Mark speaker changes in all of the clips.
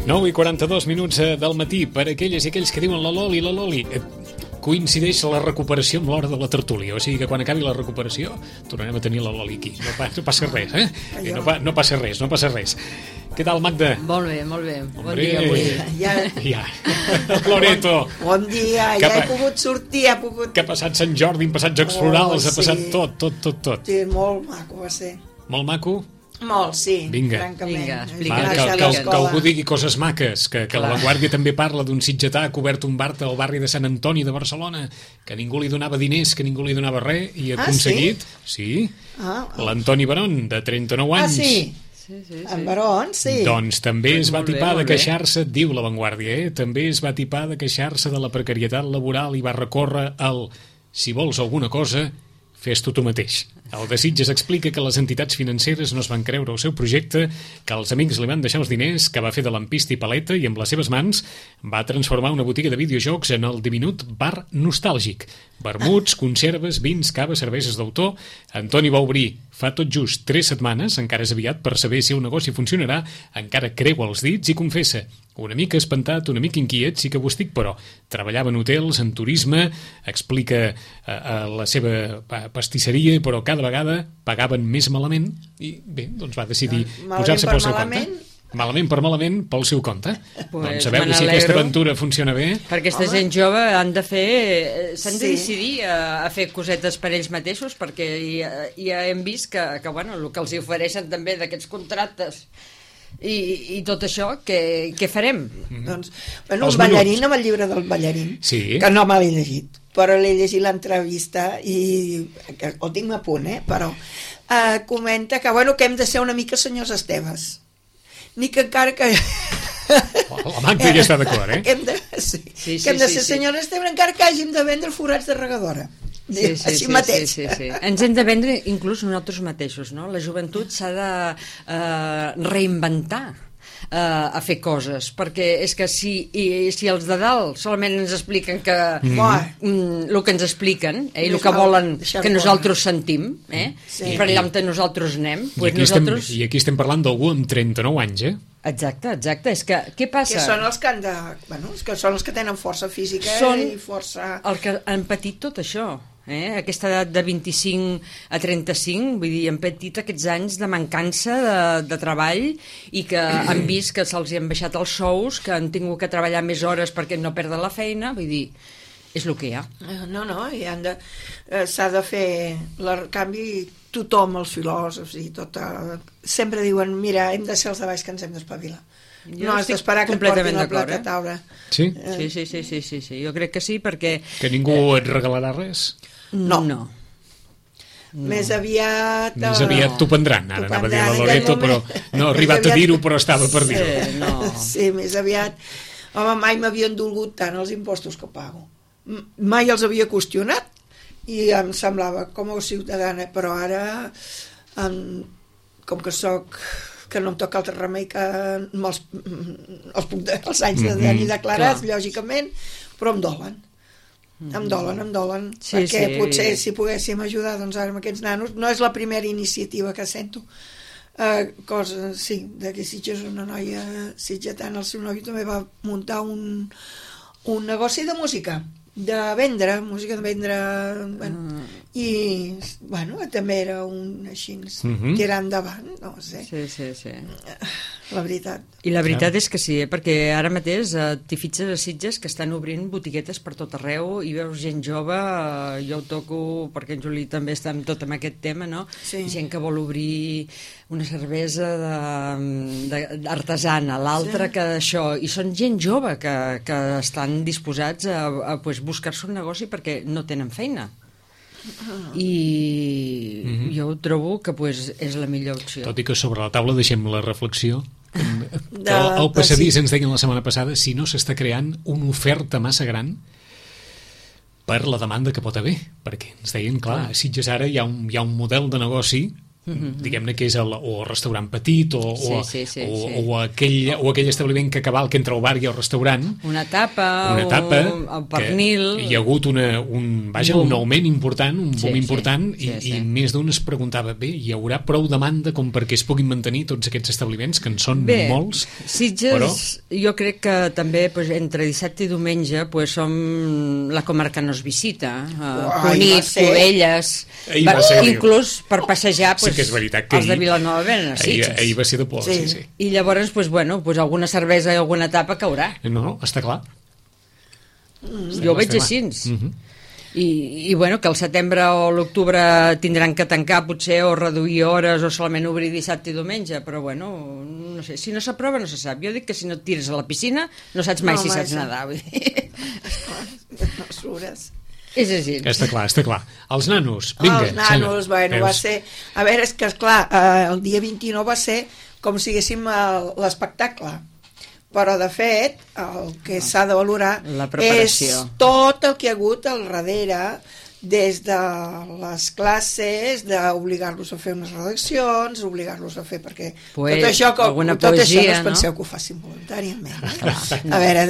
Speaker 1: 9:42 del matí per aquelles i aquells que diuen la Loli. Coincideix la recuperació amb l'hora de la tertúlia, o sigui que quan acabi la recuperació tornarem a tenir la Loli aquí. No passa res, No passa res. Què tal, Magda?
Speaker 2: Molt bé. Bon
Speaker 1: dia
Speaker 2: avui.
Speaker 1: Ja. Loreto.
Speaker 3: Bon dia, ja he pogut sortir,
Speaker 1: Que ha passat Sant Jordi, han passat Jocs Florals, ha passat tot.
Speaker 3: Sí, molt maco va ser.
Speaker 1: Molt maco?
Speaker 3: Molt, sí.
Speaker 1: Vinga.
Speaker 3: Francament.
Speaker 2: Vinga, explica.
Speaker 1: Que algú digui coses maques, que La Vanguardia també parla d'un sitgetà que ha obert un bar al barri de Sant Antoni de Barcelona, que ningú li donava diners, que ningú li donava res, i ha aconseguit... Sí? L'Antoni Barón, de 39 anys.
Speaker 3: Sí. En Barón, sí.
Speaker 1: Doncs també es va
Speaker 2: Molt bé,
Speaker 1: tipar de
Speaker 2: molt bé.
Speaker 1: queixar-se, diu La Vanguardia, també es va tipar de queixar-se de la precarietat laboral i va recórrer al si vols alguna cosa, fes-t'ho tu mateix. El de Sitges explica que les entitats financeres no es van creure el seu projecte, que els amics li van deixar els diners, que va fer de lampista i paleta i amb les seves mans va transformar una botiga de videojocs en el diminut bar nostàlgic. Vermuts, conserves, vins, cava, cerveses d'autor. Antoni va obrir fa tot just 3 setmanes, encara és aviat per saber si el negoci funcionarà, encara creu els dits i confessa: una mica espantat, una mica inquiet, sí que ho estic, però treballava en hotels, en turisme, explica la seva pastisseria, però cada vegada pagaven més malament i bé, doncs va decidir posar-se pel seu compte. Malament per malament pel seu compte. Doncs a veure si aquesta aventura funciona bé.
Speaker 2: Per aquesta gent jove s'han de decidir a fer cosetes per ells mateixos, perquè ja hem vist que bueno, el que els ofereixen també d'aquests contractes i tot això, què farem?
Speaker 3: Doncs, bueno, un ballarín, amb el llibre del ballarín, que no me l'he llegit, però l'he llegit l'entrevista i ho tinc a punt, però comenta que, bueno, que hem de ser una mica senyors Esteves, ni que encara que...
Speaker 1: La Magda ja està d'acord,
Speaker 3: que hem de ser senyors Esteves encara que hàgim de vendre forats de regadora. Així mateix.
Speaker 2: Sí. Ens hem de vendre inclús nosaltres mateixos, no? La joventut s'ha de reinventar a fer coses, perquè és que si els de dalt solament ens expliquen que el que ens expliquen i el que volen que nosaltres sentim i per allà on nosaltres anem,
Speaker 1: i aquí estem parlant d'algú amb 39 anys,
Speaker 2: Exacte, és que què passa?
Speaker 3: Que són els que han de... Bueno, que són els que tenen força física i força...
Speaker 2: Els que han patit tot això, aquesta edat de 25 a 35, vull dir, han patit aquests anys de mancança de treball i que han vist que se'ls han baixat els sous, que han tingut que treballar més hores perquè no perden la feina, vull dir, és el que hi ha.
Speaker 3: No, i s'ha de fer el canvi. Tothom, els filòsofs i tot, sempre diuen, mira, hem de ser els de baix que ens hem d'espavilar. No has d'esperar que et portin el plat a taula.
Speaker 1: Sí?
Speaker 2: Sí, jo crec que sí, perquè...
Speaker 1: Que ningú et regalarà res?
Speaker 3: No. Més aviat
Speaker 1: t'ho prendran, ara anava a dir la Loreto, però no ha arribat a dir-ho, però estava per dir-ho.
Speaker 3: Sí, més aviat. Home, mai m'havien dolgut tant els impostos que pago. Mai els havia qüestionat, i em semblava com a ciutadana, però ara com que que no em toca altre remei que els anys de tenir declarats, lògicament, però em dolen, perquè potser si poguéssim ajudar doncs ara amb aquests nanos. No és la primera iniciativa que sento, de que Sitges, una noia sitgetana, el seu noi també va muntar un negoci de música, de vendre, i bueno, també era un així tirar endavant, no sé.
Speaker 2: Sí.
Speaker 3: La veritat.
Speaker 2: I la veritat és que sí, perquè ara mateix t'hi fitxes a Sitges que estan obrint botiguetes per tot arreu i veus gent jove, jo ho toco perquè en Juli també està amb tot amb aquest tema, no? Gent que vol obrir una cervesa artesana, l'altra que això, i són gent jove que estan disposats a buscar-se un negoci perquè no tenen feina. I jo trobo que és la millor opció.
Speaker 1: Tot i que sobre la taula deixem la reflexió que al passadís ens deien la setmana passada si no s'està creant una oferta massa gran per la demanda que pot haver, perquè ens deien, clar, a Sitges ara hi ha un model de negoci diguem-ne que és o el restaurant petit o aquell establiment que cavalca entre el bar i el restaurant,
Speaker 2: una tapa o pernil,
Speaker 1: hi ha hagut un augment important, un boom important, i més d'un es preguntava, bé, hi haurà prou demanda com perquè es puguin mantenir tots aquests establiments, que en són molts.
Speaker 2: Sitges, però jo crec que també entre dissabte i diumenge som la comarca no es visita, Cunit, Cubelles, inclús per passejar
Speaker 1: que és veritat que
Speaker 2: els de Vilanova venen a Sitges.
Speaker 1: Ahir va ser de por, sí.
Speaker 2: I llavors, alguna cervesa i alguna tapa caurà.
Speaker 1: No, està clar.
Speaker 2: Jo ho veig així. I que el setembre o l'octubre tindran que tancar potser o reduir hores o solament obrir dissabte i diumenge, però no sé, si no s'aprova no se sap. Jo dic que si no et tires a la piscina no saps mai si saps nedar.
Speaker 3: No sures.
Speaker 2: És així.
Speaker 1: Està clar. Els nanos, vinga.
Speaker 3: Els nanos, va ser... A veure, és que, esclar, el dia 29 va ser com si haguéssim l'espectacle. Però, de fet, el que s'ha de valorar és tot el que hi ha hagut al darrere, des de les classes, d'obligar-los a fer unes redaccions, obligar-los a fer, perquè tot això no es penseu que ho facin voluntàriament. A veure,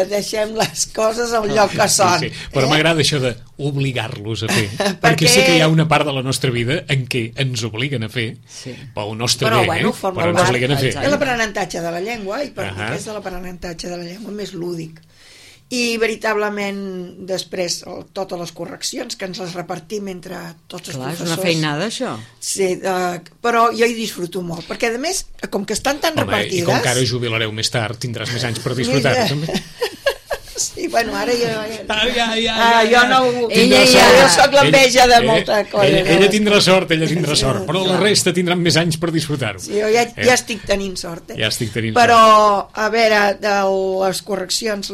Speaker 3: deixem les coses al lloc que són.
Speaker 1: Però m'agrada això d'obligar-los a fer, perquè sé que hi ha una part de la nostra vida en què ens obliguen a fer, pel nostre bé, però ens obliguen a fer.
Speaker 3: És l'aprenentatge de la llengua, i per mi és l'aprenentatge de la llengua més lúdic. I veritablement després totes les correccions que ens les repartim entre tots els professors.
Speaker 2: És una feinada això.
Speaker 3: Sí, però jo hi disfruto molt, perquè a més, com que estan tan repartides...
Speaker 1: I com que ara jubilareu més tard, tindràs més anys per disfrutar-ho també.
Speaker 3: Sí, ara jo no... Jo soc l'enveja de molta cosa.
Speaker 1: Ella tindrà sort, però la resta tindran més anys per disfrutar-ho.
Speaker 3: Sí, jo ja estic tenint sort.
Speaker 1: Però,
Speaker 3: a veure, de les correccions,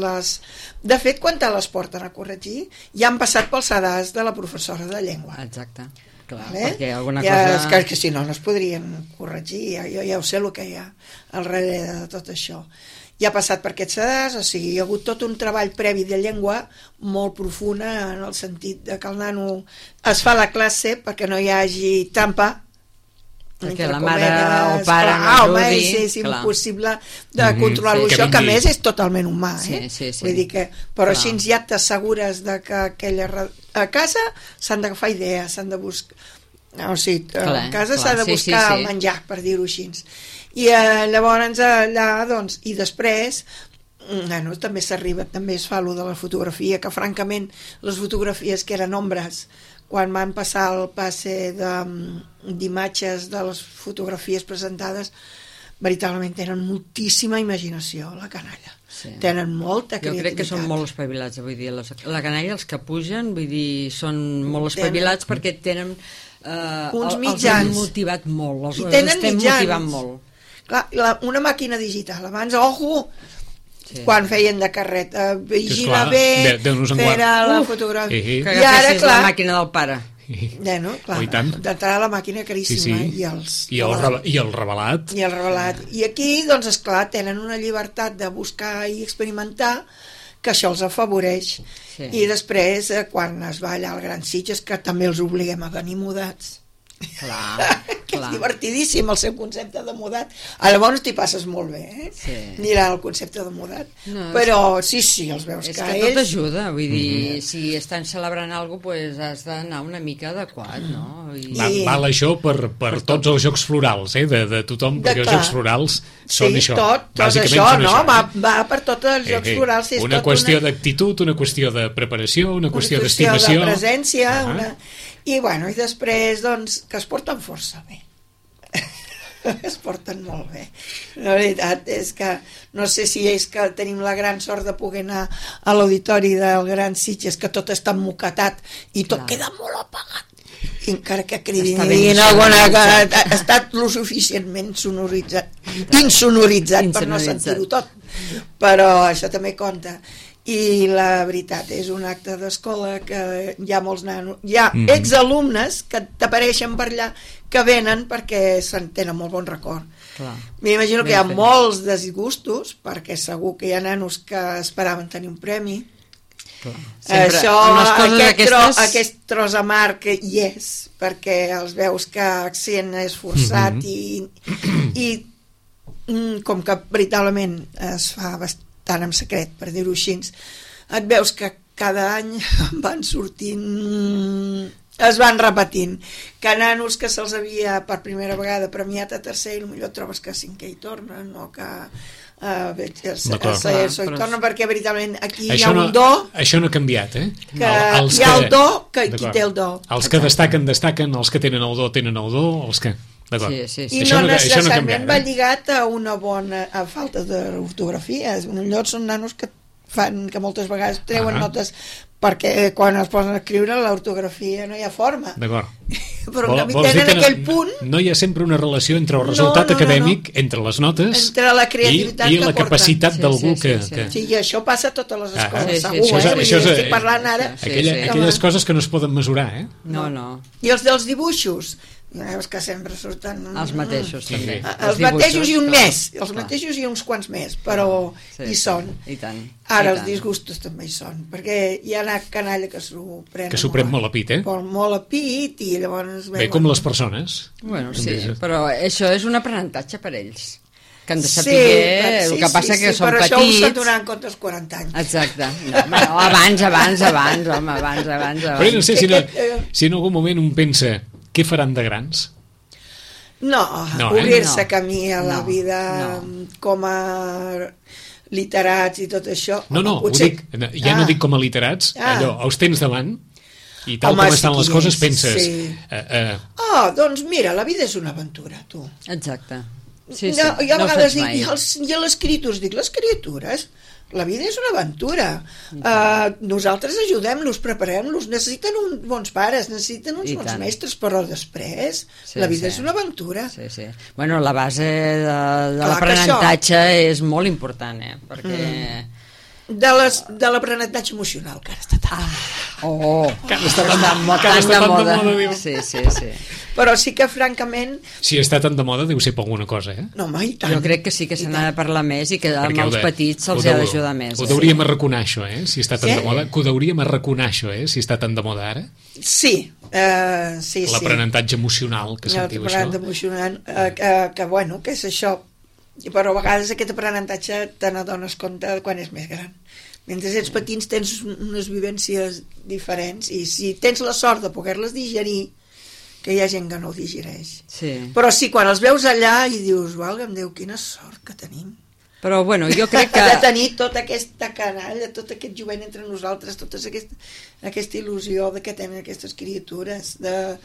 Speaker 3: de fet, quan te les porten a corregir, ja han passat pel sedàs de la professora de llengua.
Speaker 2: Exacte. Clar, perquè alguna cosa...
Speaker 3: És que si no es podrien corregir, jo ja ho sé el que hi ha al darrere de tot això. Ja ha passat per aquest sedàs, o sigui, hi ha hagut tot un treball previ de llengua molt profunda, en el sentit de que el nano es fa la classe perquè no hi hagi trampa,
Speaker 2: perquè la mare o pare no ajudi.
Speaker 3: És impossible de controlar-ho, això que a més és totalment humà, vull dir que, però així ja t'assegures de que a casa s'han d'agafar idees, s'han de buscar, o sigui, a casa s'ha de buscar el menjar, per dir-ho així. I llavors allà, doncs, i després també s'arriba, també es fa allò de la fotografia, que francament les fotografies que eren ombres, quan van passar el passe d'imatges de les fotografies presentades, veritablement tenen moltíssima imaginació, la canalla. Tenen molta creativitat.
Speaker 2: Jo crec que són molt espavilats, vull dir, la canalla, els que pugen, vull dir, són molt espavilats perquè tenen
Speaker 3: uns mitjans.
Speaker 2: Els han motivat molt, els estem motivant molt.
Speaker 3: Clar, una màquina digital, abans, quan feien de carret, vigila bé, fer la fotografia.
Speaker 2: Que agafessis la màquina del pare.
Speaker 3: D'entrar a la màquina caríssima.
Speaker 1: I el revelat.
Speaker 3: I aquí, doncs, esclar, tenen una llibertat de buscar i experimentar, que això els afavoreix. I després, quan es va allà al Gran Sitges, que també els obliguem a venir mudats. Que és divertidíssim el seu concepte de mudat. Llavors t'hi passes molt bé, mirar el concepte de mudat, però sí, els veus que ells...
Speaker 2: tot ajuda, vull dir, si estan celebrant alguna cosa, has d'anar una mica adequat, no?
Speaker 1: Val això per tots els jocs florals, de tothom, perquè els jocs florals són això.
Speaker 3: Tot això, no? Va per tots els jocs florals.
Speaker 1: Una qüestió d'actitud, una qüestió de preparació, una qüestió d'estimació,
Speaker 3: de presència, i després, doncs, que es porten força bé. Es porten molt bé. La veritat és que no sé si és que tenim la gran sort de poder anar a l'auditori del Gran Sitges, que tot està emmoquetat i tot queda molt apagat. I encara que cridin alguna cosa, ha estat lo suficientment insonoritzat per no sentir-ho tot. Però això també compta. I la veritat, és un acte d'escola que hi ha molts nanos, hi ha exalumnes que t'apareixen per allà, que venen perquè se'n tenen molt bon record. M'imagino que hi ha molts disgustos, perquè segur que hi ha nanos que esperaven tenir un premi, Això, aquest tros amarg que hi és, perquè els veus que accent és forçat i com que veritablement es fa bastant en secret, per dir-ho així, et veus que cada any van sortint, es van repetint, que nanos que se'ls havia per primera vegada premiat a tercer i potser trobes que a cinquè hi tornen o que tornen, perquè veritablement aquí hi ha un do,
Speaker 1: això no ha canviat,
Speaker 3: hi ha el do que qui té el do,
Speaker 1: els que destaquen, els que tenen el do tenen el do, els que...
Speaker 3: I no necessàriament va lligat a una bona falta d'ortografia. Millor són nanos que fan que moltes vegades treuen notes perquè quan es posen a escriure l'ortografia no hi ha forma.
Speaker 1: D'acord.
Speaker 3: Però una mica en aquell punt...
Speaker 1: No hi ha sempre una relació entre el resultat acadèmic, entre les notes,
Speaker 3: entre la creativitat
Speaker 1: i la capacitat d'algú que...
Speaker 3: Sí, i això passa a totes les escoles, segur, estic parlant ara...
Speaker 1: Aquelles coses que no es poden mesurar,
Speaker 2: No.
Speaker 3: I els dels dibuixos, veus que sempre surten
Speaker 2: els mateixos també,
Speaker 3: els mateixos i un més, els mateixos i uns quants més, però hi són. Ara els disgustos també hi són, perquè hi ha una canalla que s'ho pren
Speaker 1: molt a pit,
Speaker 3: molt a pit, i llavors
Speaker 1: bé, com les persones.
Speaker 2: Bueno, sí, però això és un aprenentatge per ells, que han de saber el que passa que són petits.
Speaker 3: Però això ho s'ha donat en compte als 40 anys.
Speaker 2: Exacte. Abans, home, abans.
Speaker 1: Però no sé si en algun moment un pensa què faran de grans?
Speaker 3: No, obrir-se camí a la vida com a literats i tot això.
Speaker 1: No, no dic com a literats, allò, els tens davant i tal com estan les coses penses...
Speaker 3: Doncs mira, la vida és una aventura, tu.
Speaker 2: Exacte.
Speaker 3: Jo a vegades dic, i a les criatures dic, les criatures... La vida és una aventura. Nosaltres ajudem-los, preparem-los, necessiten uns bons pares, necessiten uns bons mestres, però després la vida és una aventura.
Speaker 2: Bueno, la base de l'aprenentatge és molt important, perquè...
Speaker 3: De l'aprenentatge emocional, que ara està
Speaker 2: tan de moda. Sí.
Speaker 3: Però sí que, francament...
Speaker 1: Si està tan de moda, deu ser per alguna cosa,
Speaker 3: No, home, i tant.
Speaker 2: Jo crec que sí que se n'ha de parlar més i que amb els petits se'ls ha d'ajudar més.
Speaker 1: Ho deuríem arraconar, això, si està tan de moda. Que ho deuríem arraconar, això, si està tan de moda ara.
Speaker 3: Sí.
Speaker 1: L'aprenentatge emocional, que sentiu això.
Speaker 3: L'aprenentatge emocional, que és això. Però a vegades aquest aprenentatge te n'adones compte quan és més gran. Mentre ets petits tens unes vivències diferents i si tens la sort de poder-les digerir, que hi ha gent que no ho digereix. Però sí, quan els veus allà i dius, valga'm Déu, quina sort que tenim.
Speaker 2: Però bueno, jo crec que...
Speaker 3: de tenir tota aquesta canalla, tot aquest jovent entre nosaltres, tota aquesta il·lusió de que tenen aquestes criatures, de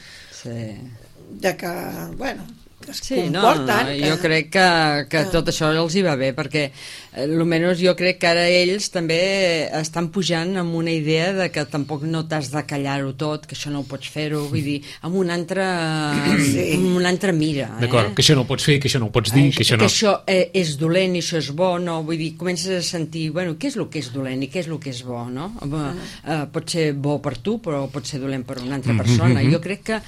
Speaker 3: que, bueno...
Speaker 2: jo crec que tot això els hi va bé, perquè almenys jo crec que ara ells també estan pujant amb una idea de que tampoc no t'has de callar-ho tot, que això no ho pots fer-ho, vull dir, amb una altra mira.
Speaker 1: D'acord, que això no ho pots fer, que això no ho pots dir, que
Speaker 2: això és dolent i això és bo, no? Vull dir, comences a sentir, bueno, què és el que és dolent i què és el que és bo, no? Pot ser bo per tu, però pot ser dolent per una altra persona. Jo crec que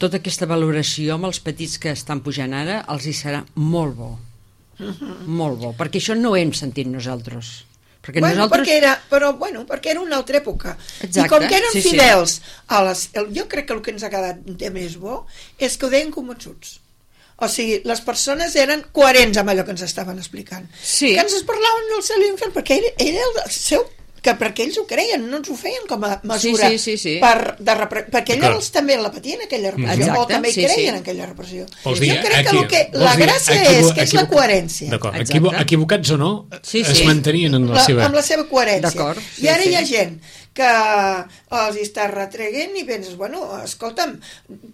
Speaker 2: tota aquesta valoració amb els petits que estan pujant ara els hi serà molt bo, molt bo, perquè això no ho hem sentit nosaltres. Perquè perquè era una altra època. I com que eren fidels jo crec que el que ens ha quedat de més bo és que ho deien convençuts. O sigui, les persones eren coherents amb allò que ens estaven explicant, que ens parlaven del cel i l'infern, perquè era el seu, que perquè ells ho creien, no ens ho feien com a mesura perquè ells també la patien aquella repressió, o també creien en aquella repressió. Jo crec que la gràcia és que és la coherència.
Speaker 1: Equivocats o no, es mantenien en la
Speaker 3: seva coherència. I ara hi ha gent que els està retreguent i penses, bueno, escolta'm,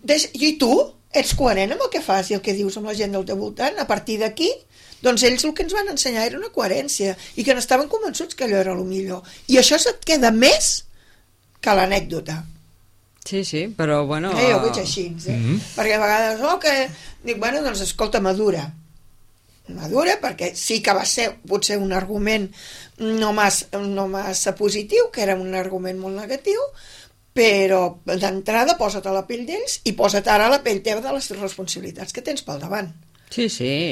Speaker 3: i tu ets coherent amb el que fas i el que dius amb la gent del teu voltant, a partir d'aquí doncs ells el que ens van ensenyar era una coherència i que n'estaven convençuts que allò era el millor, i això se't queda més que l'anècdota.
Speaker 2: Sí, però bueno...
Speaker 3: Jo ho veig així, perquè a vegades dic, bueno, doncs escolta, madura, perquè sí que va ser potser un argument no massa positiu, que era un argument molt negatiu, però d'entrada posa't a la pell d'ells i posa't ara a la pell teva de les responsabilitats que tens pel davant.
Speaker 2: Sí,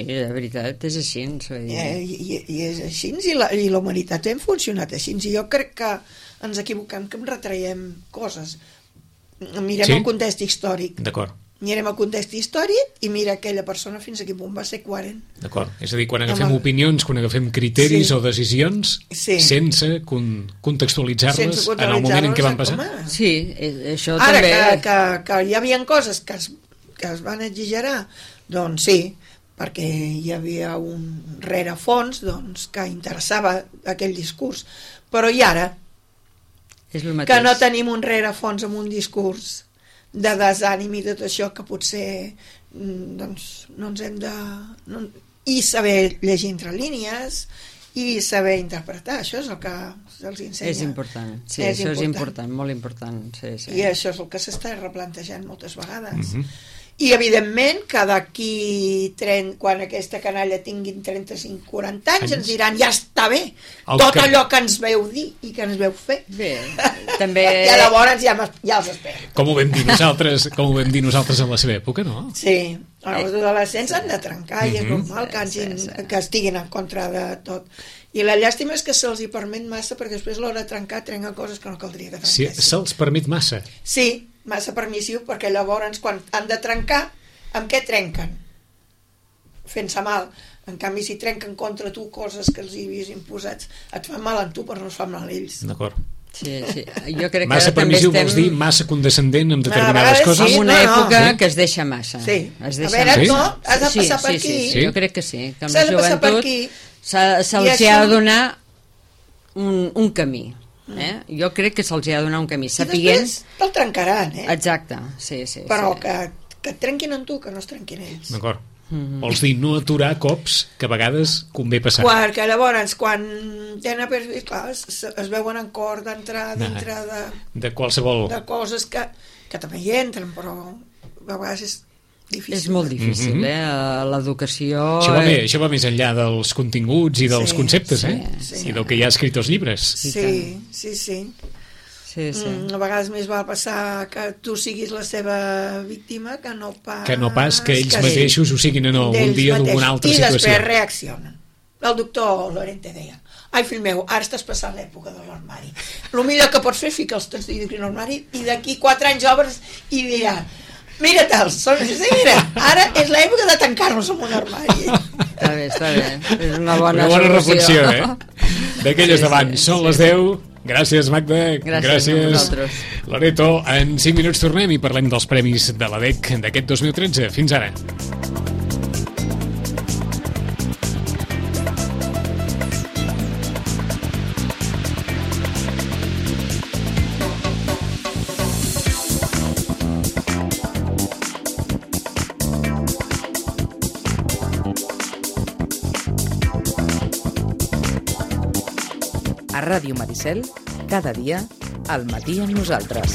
Speaker 2: de veritat, és així.
Speaker 3: I és així, i la humanitat hem funcionat així, i jo crec que ens equivoquem, que em retraiem coses. Mirem el context històric.
Speaker 1: D'acord.
Speaker 3: Mirem el context històric i mira aquella persona fins a quin punt va ser coherent.
Speaker 1: D'acord. És a dir, quan agafem opinions, quan agafem criteris o decisions, sense contextualitzar-les en el moment en què van passar.
Speaker 2: Sí, això
Speaker 3: ara,
Speaker 2: també...
Speaker 3: Ara, que hi havia coses que es van exagerar, doncs sí, perquè hi havia un rerefons que interessava aquell discurs. Però i ara? Que no tenim un rerefons amb un discurs de desànim i de tot això, que potser doncs no ens hem de... i saber llegir entre línies i saber interpretar, això és el que se'ls ensenya.
Speaker 2: És important, sí, això és important, molt important. Sí.
Speaker 3: I això és el que s'està replantejant moltes vegades. I evidentment que d'aquí quan aquesta canalla tinguin 35-40 anys ens diran, ja està bé tot allò que ens veu dir i que ens veu fer.
Speaker 2: Bé, també...
Speaker 3: I llavors ja els espero.
Speaker 1: Com ho vam dir nosaltres en la seva època, no?
Speaker 3: Sí, els adolescents han de trencar i és normal que estiguin en contra de tot. I la llàstima és que se'ls hi permet massa, perquè després a l'hora de trencar trenca coses que no caldria que trenquessin.
Speaker 1: Sí, se'ls permet massa?
Speaker 3: Sí, massa permissiu, perquè llavors quan han de trencar, amb què trenquen? Fent-se mal. En canvi, si trenquen contra tu coses que els hi havies imposats, et fan mal a tu, però no es fan mal a ells.
Speaker 1: D'acord.
Speaker 2: Sí. Jo crec
Speaker 1: massa
Speaker 2: que
Speaker 1: permissiu vols dir massa condescendent amb determinades coses?
Speaker 2: En una època que es deixa massa.
Speaker 3: Sí. A veure, no, has de passar per aquí.
Speaker 2: Sí, jo crec que sí. Que amb la joventut se'ls ha de donar un camí. Jo crec que se'ls ha de donar un camí.
Speaker 3: I després te'l trencaran,
Speaker 2: Exacte, sí.
Speaker 3: Però que et trenquin en tu, que no es trenquin ells.
Speaker 1: D'acord. Vols dir no aturar cops que a vegades convé passar.
Speaker 3: Que llavors, quan tenen perfil, clar, es veuen en cor d'entrar dintre
Speaker 1: de qualsevol...
Speaker 3: de coses que també hi entren, però a vegades és difícil.
Speaker 2: És molt difícil, l'educació...
Speaker 1: Això va més enllà dels continguts i dels conceptes, i del que hi ha escrit als llibres.
Speaker 3: Sí. A vegades més va passar que tu siguis la seva víctima que no pas
Speaker 1: que ells mateixos ho siguin en algun dia d'una altra situació.
Speaker 3: I després reaccionen. El doctor Lorente deia: ai, fill meu, ara estàs passant l'època de l'armari. El millor que pots fer és ficar els teus dins l'armari i d'aquí 4 anys obres i dirà: mira-te'ls, mira, ara és l'època de tancar-nos en un armari.
Speaker 2: Està bé. És una bona
Speaker 1: reflexió, d'aquelles d'abans. Són les 10. Gràcies, Magda.
Speaker 2: Gràcies.
Speaker 1: Loreto, en 5 minuts tornem i parlem dels premis de l'ADEC d'aquest 2013. Fins ara.
Speaker 4: A Ràdio Maricel, cada dia, al matí amb nosaltres.